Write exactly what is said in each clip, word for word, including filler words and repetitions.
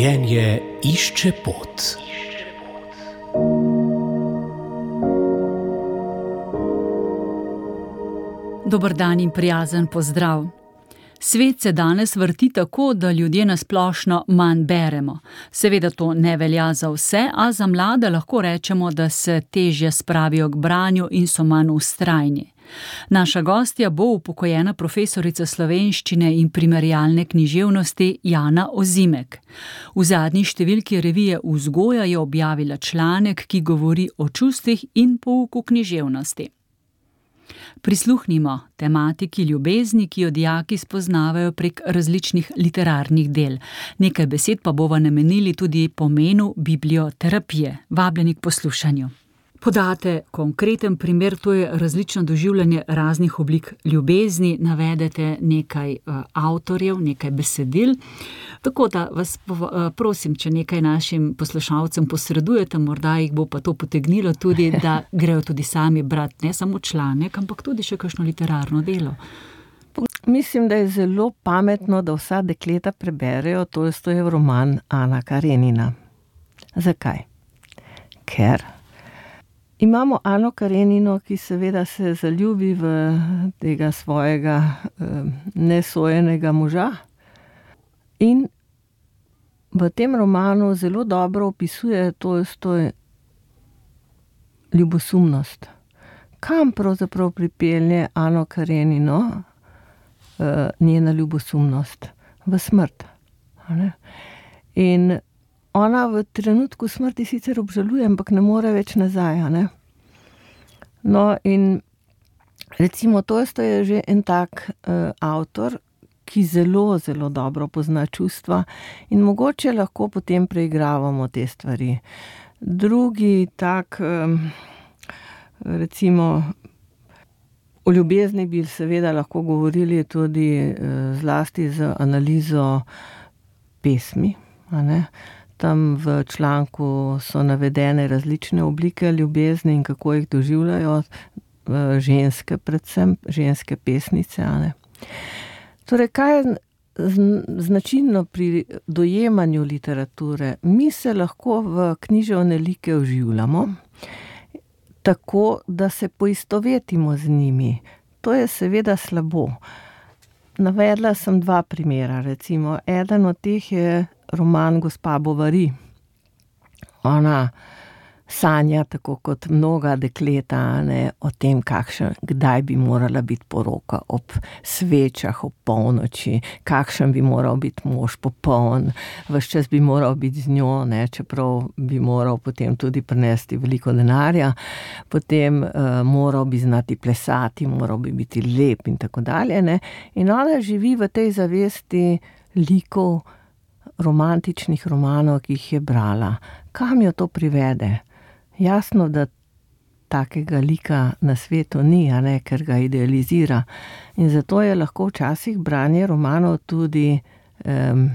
Življenje išče pot. Dober dan in prijazen pozdrav. Svet se danes vrti tako, da ljudje na splošno manj beremo. Seveda to ne velja za vse, a za mlade lahko rečemo, da se težje spravijo k branju in so manj vztrajni. Naša gostja bo upokojena profesorica slovenščine in primerjalne književnosti Jana Ozimek. V zadnji številki revije Vzgoja je objavila članek, ki govori o čustvih in pouku književnosti. Prisluhnimo tematiki ljubezni, ki jo dijaki spoznavajo prek različnih literarnih del. Nekaj besed pa bova namenili tudi pomenu biblioterapije. Vabljeni k poslušanju. Podate konkreten primer, to je različno doživljanje raznih oblik ljubezni, navedete nekaj uh, avtorjev, nekaj besedil. Tako da vas uh, prosim, če nekaj našim poslušalcem posredujete, morda jih bo pa to potegnilo tudi, da grejo tudi sami brati ne samo članek, ampak tudi še kakšno literarno delo. Mislim, da je zelo pametno, da vsa dekleta preberejo Tolstojev roman Ana Karenina. Zakaj? Ker imamo Ano Karenino, ki seveda se zaljubi v tega svojega eh, nesojenega moža in v tem romanu zelo dobro opisuje Tolstoj ljubosumnost. Kam pravzaprav pripelje Ano Karenino eh, njena ljubosumnost? V smrt. In ona v trenutku smrti sicer obžaluje, ampak ne more več nazaj, ne? No, in recimo Tolstoj je že en tak uh, avtor, ki zelo, zelo dobro pozna čustva in mogoče lahko potem preigravamo te stvari. Drugi tak, um, recimo, o ljubezni bi seveda lahko govorili tudi uh, zlasti z analizo pesmi, a ne? Tam v članku so navedene različne oblike ljubezni in kako jih doživljajo ženske, predvsem ženske pesnice. Ne? Torej, kaj je značilno pri dojemanju literature? Mi se lahko v književne like vživljamo, tako da se poistovetimo z njimi. To je seveda slabo. Navedla sem dva primera, recimo. Eden od teh je roman Gospa Bovary. Ona sanja, tako kot mnoga dekleta, ne, o tem, kakšen, kdaj bi morala biti poroka, ob svečah, ob polnoči, kakšen bi moral biti mož popoln, ves čas bi moral biti z njo, ne, čeprav bi moral potem tudi prinesti veliko denarja, potem uh, moral bi znati plesati, moral bi biti lep in tako dalje. Ne. In ona živi v tej zavesti likov romantičnih romanov, ki jih je brala. Kam jo to privede? Jasno, da takega lika na svetu ni, a ne, ker ga idealizira. In zato je lahko včasih branje romanov tudi um,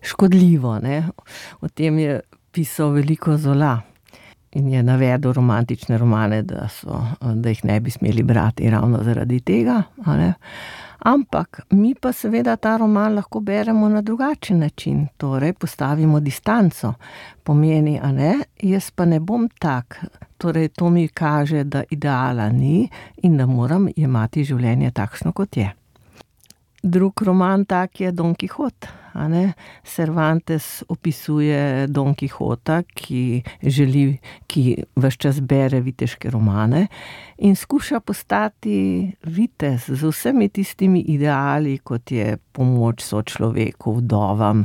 škodljivo. Ne? O tem je pisal veliko Zola in je navedel romantične romane, da, so, da jih ne bi smeli brati ravno zaradi tega. A ne? Ampak mi pa seveda ta roman lahko beremo na drugačen način, torej postavimo distanco. Pomeni, a ne, jaz pa ne bom tak, torej to mi kaže, da ideala ni in da moram jemati življenje takšno, kot je. Drug roman tak je Don Kihot, a ne. Cervantes opisuje Don Kihota, ki želi, ki ves čas bere viteške romane in skuša postati vitez z vsemi tistimi ideali, kot je pomoč sočloveku, vdovam,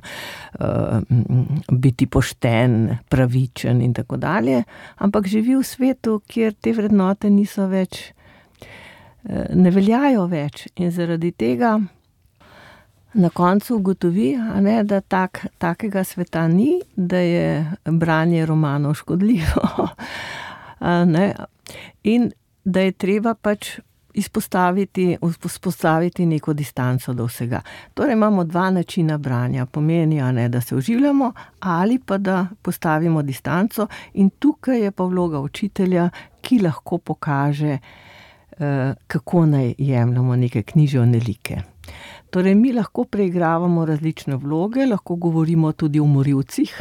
biti pošten, pravičen in tako dalje, ampak živi v svetu, kjer te vrednote niso več, ne veljajo več in zaradi tega na koncu ugotovi, a ne, da tak, takega sveta ni, da je branje romanov škodljivo. Ne? In da je treba pač izpostaviti, vzpostaviti neko distanco do vsega. Torej imamo dva načina branja. Pomeni, a ne, da se vživljamo ali pa da postavimo distanco in tukaj je pa vloga učitelja, ki lahko pokaže kako naj jemljemo neke književne like. Torej, mi lahko preigravamo različne vloge, lahko govorimo tudi o morilcih,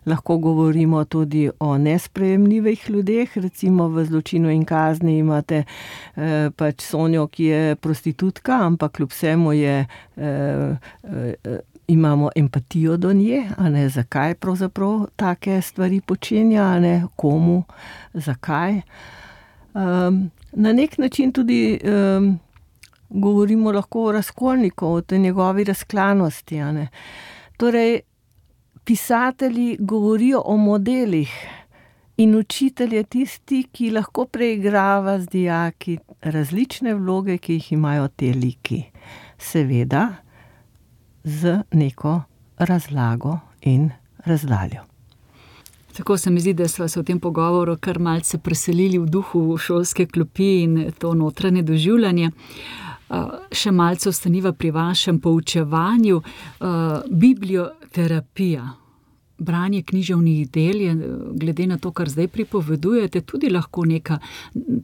lahko govorimo tudi o nesprejemljivih ljudeh, recimo v Zločinu in kazni imate eh, pač Sonjo, ki je prostitutka, ampak kljub vsemu je, eh, eh, imamo empatijo do nje, a ne, zakaj pravzaprav take stvari počenja, a ne, komu, zakaj. Um, na nek način tudi um, govorimo lahko o Razkolniku, o tej njegovi razklanosti, a ne. Torej, pisatelji govorijo o modelih in učitelj je tisti, ki lahko preigrava z dijaki različne vloge, ki jih imajo te liki. Seveda z neko razlago in razdaljo. Tako se mi zdi, da sva se v tem pogovoru kar malce preselili v duhu šolske klopi in to notranje doživljanje. Še malce ostaniva pri vašem poučevanju. Biblioterapija, branje književnih del je, glede na to, kar zdaj pripovedujete, tudi lahko neka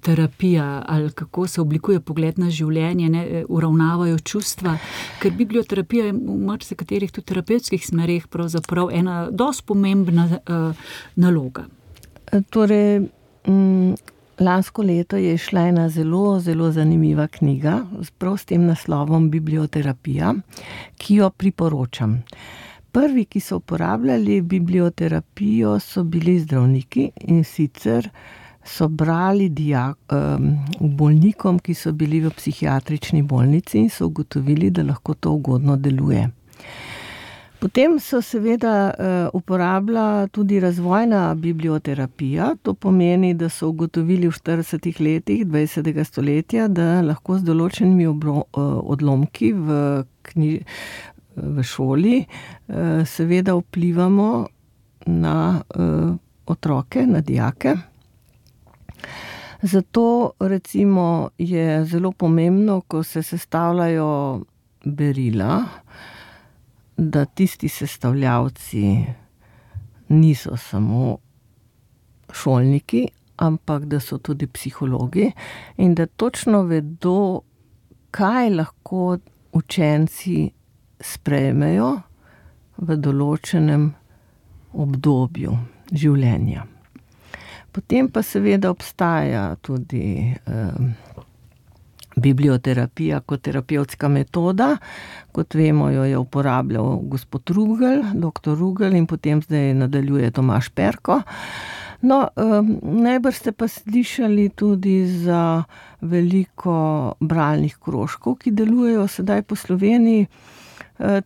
terapija, ali kako se oblikuje pogled na življenje, ne, uravnavajo čustva, ker biblioterapija je v marsikaterih tudi terapevtskih smereh pravzaprav ena dosti pomembna uh, naloga. Torej, m, lansko leto je šla ena zelo, zelo zanimiva knjiga, prav s tem naslovom Biblioterapija, ki jo priporočam. Prvi, ki so uporabljali biblioterapijo, so bili zdravniki, in sicer so brali dijak, um, bolnikom, ki so bili v psihiatrični bolnici in so ugotovili, da lahko to ugodno deluje. Potem so seveda uh, uporabila tudi razvojna biblioterapija, to pomeni, da so ugotovili v štiridesetih letih dvajsetega stoletja, da lahko z določenimi obro, uh, odlomki v knjiži, v šoli, seveda vplivamo na otroke, na dijake. Zato recimo je zelo pomembno, ko se sestavljajo berila, da tisti sestavljavci niso samo šolniki, ampak da so tudi psihologi in da točno vedo, kaj lahko učenci sprejmejo v določenem obdobju življenja. Potem pa seveda obstaja tudi eh, biblioterapija kot terapevtska metoda. Kot vemo, jo je uporabljal gospod Rugel, doktor Rugel, in potem zdaj nadaljuje Tomaž Perko. No, eh, najbrž ste pa slišali tudi za veliko bralnih krožkov, ki delujejo sedaj po Sloveniji.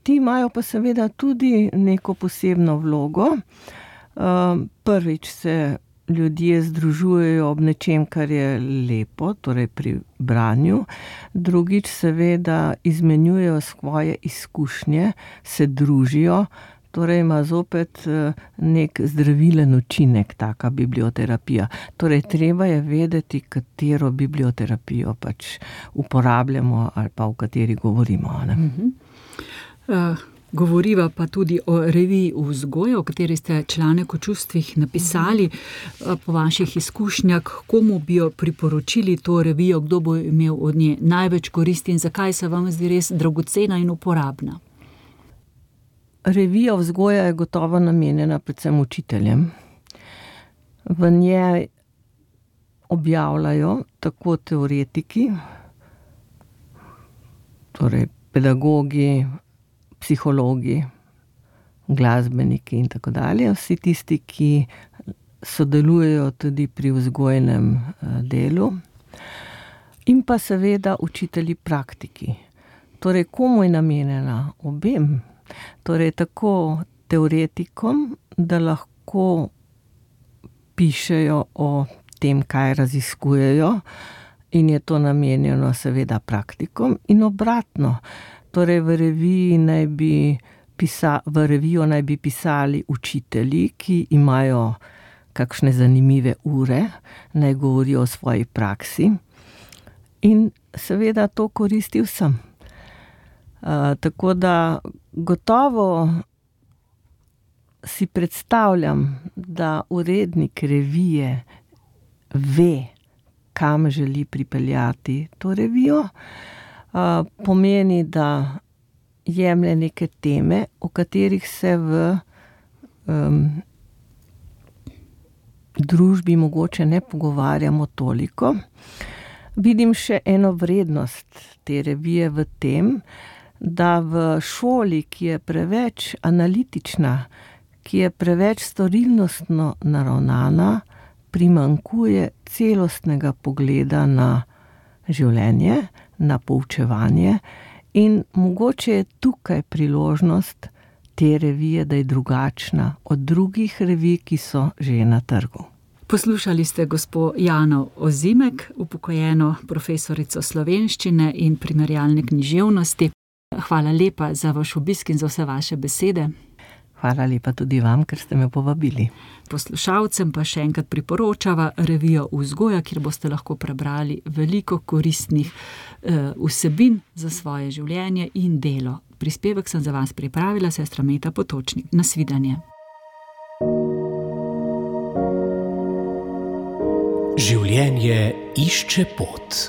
Ti imajo pa seveda tudi neko posebno vlogo. Prvič se ljudje združujejo ob nečem, kar je lepo, torej pri branju. Drugič seveda izmenjujejo svoje izkušnje, se družijo, torej ima zopet nek zdravilen učinek taka biblioterapija. Torej treba je vedeti, katero biblioterapijo pač uporabljamo ali pa o kateri govorimo, ne? Mhm. Uh, govoriva pa tudi o reviji Vzgoja, o kateri ste članek o čustvih napisali. Uh, po vaših izkušnjah, komu bi jo priporočili to revijo, kdo bo imel od nje največ koristi in zakaj se vam zdi res dragocena in uporabna? Revija Vzgoja je gotovo namenjena predvsem učiteljem. V njej objavljajo tako teoretiki, torej pedagogi, psihologi, glasbeniki in tako dalje, vsi tisti, ki sodelujejo tudi pri vzgojnem delu, in pa seveda učitelji praktiki. Torej, komu je namenjena? Obem. Torej, tako teoretikom, da lahko pišejo o tem, kaj raziskujejo, in je to namenjeno seveda praktikom, in obratno. Torej, v reviji naj bi pisa, v revijo naj bi pisali učitelji, ki imajo kakšne zanimive ure, naj govorijo o svoji praksi in seveda to koristi vsem. Uh, tako da gotovo si predstavljam, da urednik revije ve, kam želi pripeljati to revijo. Pomeni, da jemlje neke teme, o katerih se v um, družbi mogoče ne pogovarjamo toliko. Vidim še eno vrednost te revije v tem, da v šoli, ki je preveč analitična, ki je preveč storilnostno naravnana, primanjkuje celostnega pogleda na življenje, na poučevanje in mogoče je tukaj priložnost te revije, da je drugačna od drugih revij, ki so že na trgu. Poslušali ste gospo Jano Ozimek, upokojeno profesorico slovenščine in primerjalne književnosti. Hvala lepa za vaš obisk in za vse vaše besede. Hvala lepa tudi vam, ker ste me povabili. Poslušalcem pa še enkrat priporočava revijo Vzgoja, kjer boste lahko prebrali veliko koristnih eh, vsebin za svoje življenje in delo. Prispevek sem za vas pripravila sestra Meta Potočnik. Nasvidenje. Življenje išče pot.